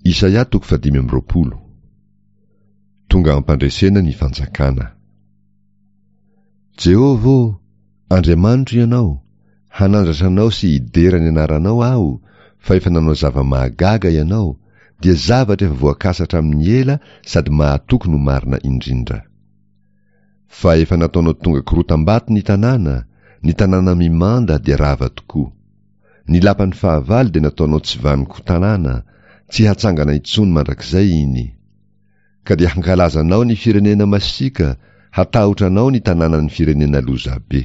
Isaia toko fahadimy amby 20. Tonga am-pandresena ny fanjakana. Jehovah ô, Andriamanitro Ianao, hanandratra Anao sy hidera ny anaranao aho, fa efa nanao zava-mahagaga Ianao, dia zavatra efa voakasa hatramin'ny ela sady mahatoky no marina indrindra. Fa efa nataonao tonga korotam-bato ny tanàna, ny tanàna mimanda dia rava tokoa. Ny lapan'ny fahavalo dia nataonao tsy vanon-ko tanàna, tsy hatsangana intsony mandrakizay iny. Ka dia hankalaza anao ny firenena masiaka, hatahotra anao ny tanànan'ny firenena lozabe.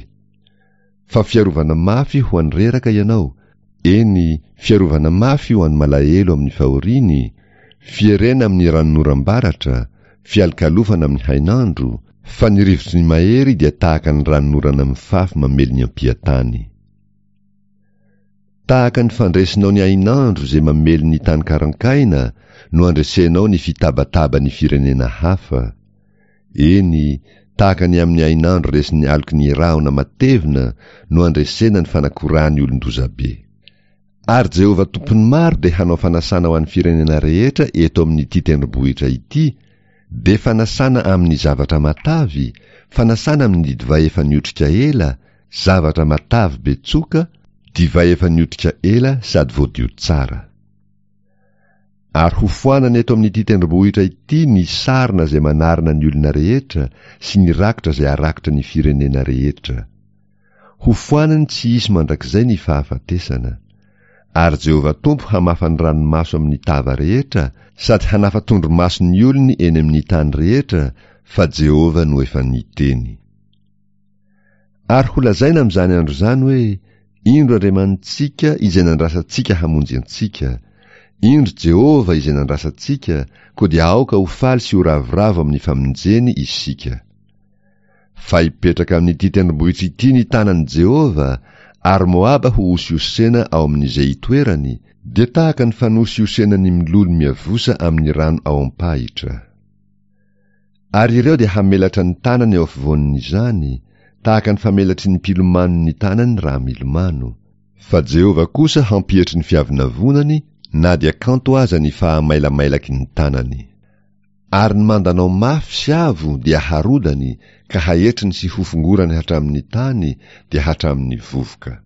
Fa fiarovana mafy ho an'ny reraka ianao, eny, fiarovana mafy ho an'ny malahelo amin'ny fahoriany, fierena amin'ny ranonoram-baratra, fialokalofana amin'ny hainandro, fa ny rivotry ny mahery dia tahaka ny ranonorana mifafy mamely ny ampiantany. Tahaka ny fandresinao ny hainandro izay mamely ny tany karankaina no andresenao ny fitabataban'ny firenena hafa. Eny, tahaka ny amin'ny hainandro resin'ny aloky ny rahona matevina no andresena ny fanakorahan'ny olon-dozabe. Ary Jehovah Tompon'ny maro dia hanao fanasana ho an'ny firenena rehetra eto amin'ity tendrombohitra ity, dia fanasana amin'ny zavatra matavy, fanasana amin'ny divay efa niotrika ela, Zavatra matavy be tsoka, divay efa niotrika ela sady voadio tsara. Ary hofoanana eto amin'ity tendrombohitra ity ny sarona izay manarona ny olona rehetra sy ny rakitra izay arakitra ny firenena rehetra. Hofoanany tsy hisy mandrakizay ny fahafatesana. Ary Jehovah Tompo hamafa ny ranomaso amin'ny tava rehetra sady hanafa tondromaso ny olony eny amin'ny tany rehetra, fa Jehovah no efa niteny. Ary holazaina amin'izany andro izany hoe, Indro Andriamanitsika izay nandrasantsika hamonjy antsika, indro Jehovah izay nandrasantsika, koa dia aoka ho faly sy ho ravoravo amin'ny famonjeny isika. Fa hipetraka amin'ity tendrombohitra ity ny tanan'i Jehovah, ary Moaba hohosihosena ao amin'izay itoerany, dia tahaka ny fanosihosena ny mololo miavosa amin'ny rano ao am-pahitra. Ary ireo dia hamelatra ny tanany eo afovoan'izany, tahaka ny famelatry ny mpilomano ny tanany raha milomano. Fa Jehovah kosa hampietry ny fiavonavonany na dia kanto aza ny fahamailamailaky ny tanany. Ary ny mandanao mafy sy avo dia harodany ka haetriny sy hofongorany hatramin'ny tany, dia hatramin'ny vovoka.